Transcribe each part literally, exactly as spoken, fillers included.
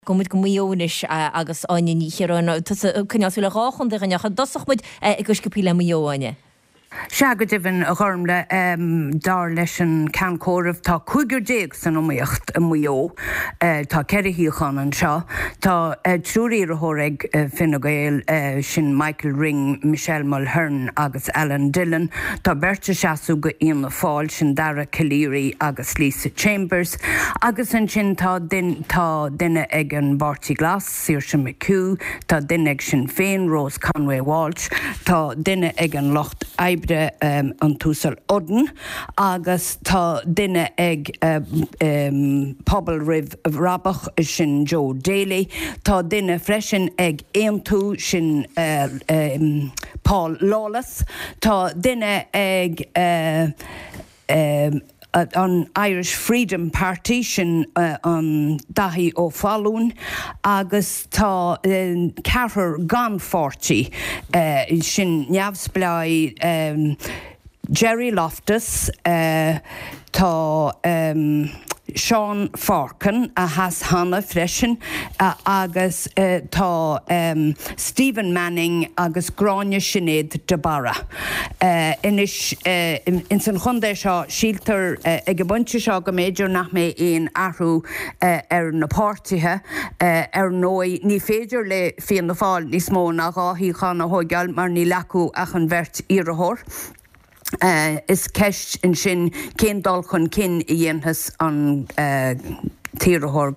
Gabhfaidh muid go Maigh Eo anois agus Áine Ní Chiaráin tusa ag coinneáil súil ar dhá chontae againn ach an dtosódh muid go sciobthaí le Maigh Eo, Áine. Sea, go deimhin, a Ghormlaith, dar leis an Ceann Comhairimh, tá cúigear déag san iomaíocht i Maigh Eo. Tá ceithre shuíochán anseo. Tá triúr iarrthóir ag Fine Gael, sin Michael Ring, Michelle Mulhern agus Alan Dillon. Tá beirt ag seasamh do Fhianna Fáil, sin Dara Calleary agus Lisa Chambers. Agus ansin tá tá duine ag an bPáirtí Glas, Saoirse McHugh, tá duine ag Sinn Féin, Rose Conway Walsh, tá duine ag an Lucht Oibre, an tUasal Udden, agus tá duine ag Pobal Roimh Bhrabach, sin Joe Daly. Tá duine freisin ag Aontú, sin Paul Lawless. Tá duine ag an Irish Freedom Party, sin an Daithí Ó Fallúin, agus tá ceathrar gan pháirtí, sin neamhspleáigh Gerry Loftus, tá Seán Farkin a sheas cheana freisin agus tá Stephen Manning agus Gráinne Sinéad de Barra. Anois ins an chontae seo síltear ag an bpointe seo go mb'fhéidir nach mbeidh aon athrú ar na páirtithe. Ar ndóigh ní féidir le Fianna Fáil níos mó ná dhá shuíochán a thóigeáil mar níl acu ach an bheirt iarrthóir. Is ceist ansin cén dul chun cinn a dhéanfas an t-iarrthóir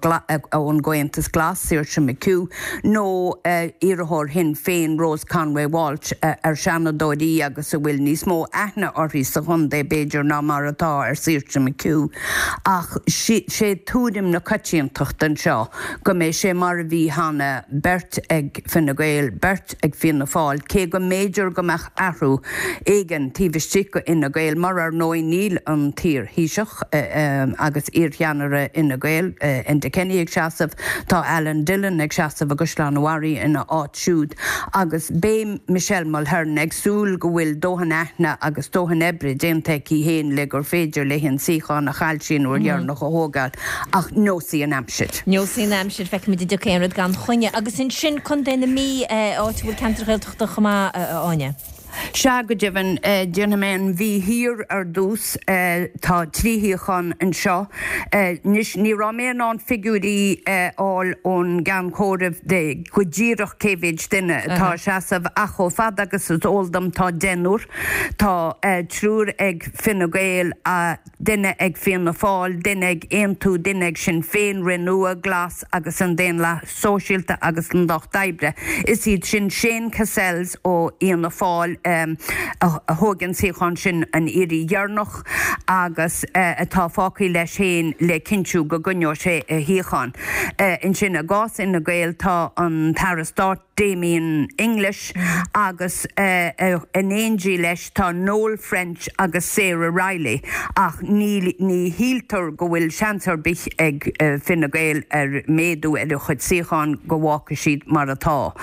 ón gComhaontas Glas, Saoirse McHugh, nó iarrthóir Shinn Féin, Rose Conway Walsh, ar seanadóir í agus a bhfuil níos mó aithne uirthi sa chontae, b'fhéidir, ná mar atá ar Saoirse McHugh. Ach sé tuairim na coitiantachta anseo go mbeidh sé mar a bhí cheana, beirt ag Fine Gael, beirt ag Fianna Fáil, cé go mb'fhéidir go mbeadh athrú éigin taobh istigh de Fhine Gael, mar ar ndóigh níl an t-iar-Thaoiseach agus iarcheannaire Fhine Gael, Enda Kenny ag seasamh, tá Alan Dillon ag seasamh i gCaisleán an Bharraigh ina áit siúd agus beidh Michelle Mulhern ag súil go bhfuil dóthain aithne agus dóthain oibre déanta aici féin le gur féidir léi an suíochán a chaill sí an uair dheireanach a thógáil ach neosfaidh an aimsir. Neosfaidh an aimsir, feicfimid an dtiocfaidh aon rud gan choinne. Agus ansin Contae na Mí, áit a bhfuil ceantair Ghaeltachta chomh maith, a Áine. Sea, go deimhin, déanfaidh mé an Mhí Thiar ar dtús. Tá trí shuíochán anseo. Anois, ní raibh mé in ann figiúirí a fháil ón gceann comhairimh de go díreach cé mhéid duine atá ag seasamh ach chomh fada agus is eol dom tá deichniúr. Tá triúr ag Fine Gael, duine ag Fianna Fáil, duine ag Aontú, duine ag Sinn Féin, Renua, Glas agus an Daonlathas Sóisialta agus an Lucht Oibre. Is iad sin Shane Cassells ó Fhianna Fáil a thóg an suíochán sin an iarraidh dheireanach agus atá fágtha leis féin le cinntiú go gcoinneoidh sé a shuíochán. Ansin i gcás Fhine Gael tá an tAire Stáit Damien English agus in éindí leis tá Noel French agus Sarah Reilly ach ní ní shíltear go bhfuil seans ar bith ag Fine Gael ar méadú ar a chuid suíochán go bhfágfaidh siad mar atá.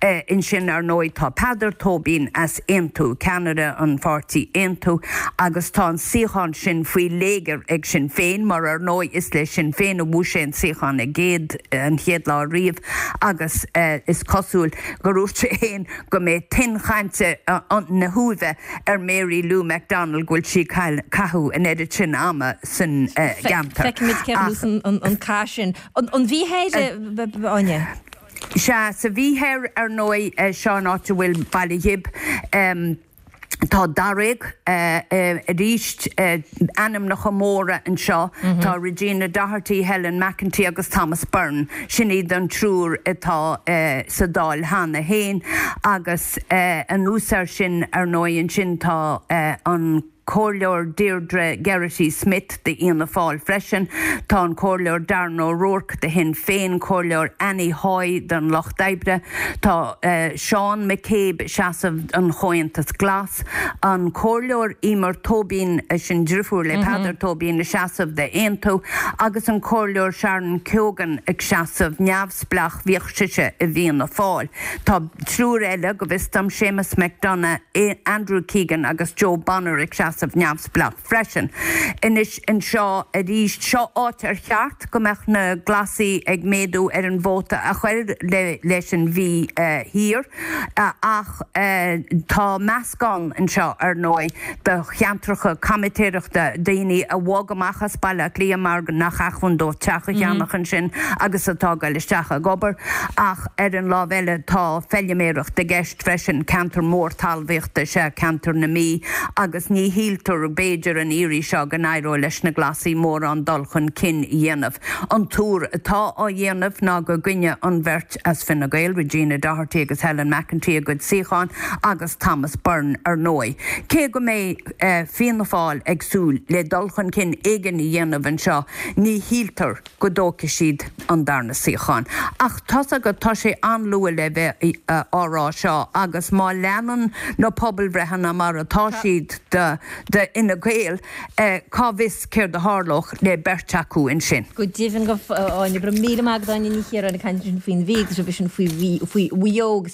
Ansin ar ndóigh tá Peadar Tóibín as Aontú, ceannaire an pháirtí Aontú agus tá an suíochán sin faoi léigear ag Sinn Féin mar ar ndóigh is le Sinn Féin a bhuaigh sé an suíochán i gcéad an chéad lá riamh agus is cosúil gur dhúirt sé féin go mbeidh tuin chainte na huaimhe ar Mary Lou McDonald go bhfuil sí ag caitheamh an oiread sin ama san gceantar. Feicfimid cé a bhuas an cath sin. An Mhí Thoir, Áine? Sea, sa Mhí Thoir, ar ndóigh, seo an áit a bhfuil Baile Ghib. Tá daréag arís ainmneacha móra anseo. Tá Regina Doherty, Helen McEntee agus Thomas Byrne. Sin iad an triúr atá sa Dáil cheana féin agus anuas air sin, ar ndóigh, ansin tá an Comhairleoir Deirdre Geraghty Smith d'Fhianna Fáil freisin. Tá an Comhairleoir Darren O'Rourke de Shinn Féin, Comhairleoir Annie Hoy don Lucht Oibre. Tá Seán McCabe ag seasamh don Chomhaontas Glas, an Comhairleoir Emer Tóibín, sin driofúr le Peadar Tóibín, ag seasamh d'Aontú agus an Comhairleoir Sharon Keoghan ag seasamh neamhspleách, bhíodh sise i bhFianna Fáil. Tá triúr eile, go bhfios dom, Séamus McDonagh, Andrew Keegan agus Joe Bonner ag seasamh seasamh neamhspleách freisin. Anois anseo arís seo áit ar cheart go mbeadh na Glasaigh ag méadú ar an vóta a chur le leis an Mhí Thiar ach tá meascán anseo ar ndóigh de cheantracha comaitéireachta daoine a bhog amach as Baile Átha Cliath mar nach acmhainn dóibh teach a cheannach ansin agus atá ag dul isteach ag obair ach ar an lámh eile tá feilméaracht i gceist freisin ceantar mór talmhaíochta is ea ceantar na Mí agus ní shíltear b'fhéidir an iarraidh seo go n-éireoidh leis na Glasaigh mórán dul chun cinn a dhéanamh. An tuar atá á dhéanamh ná go gcoinneoidh an bheirt as Fine Gael, Regina Doherty agus Helen McEntee a gcuid suíochán agus Thomas Byrne ar ndóigh. Cé go mbeidh Fianna Fáil ag súil le dul chun cinn éigin a dhéanamh anseo, ní shíltear go dtógfaidh siad an darna suíochán. Ach tá's agat, tá sé an-luath le bheith á rá seo agus má leanann na pobalbhreitheanna mar atá siad do Fhine Gael, cá bhfios céard a tharlódh le beirt acu ansin. Go deimhin go, Áine, go raibh míle maith agat Áine Ní Chiaráin ag caint ansin faoin Mhí agus roimhe sin faoi Mhaigh Eo agus.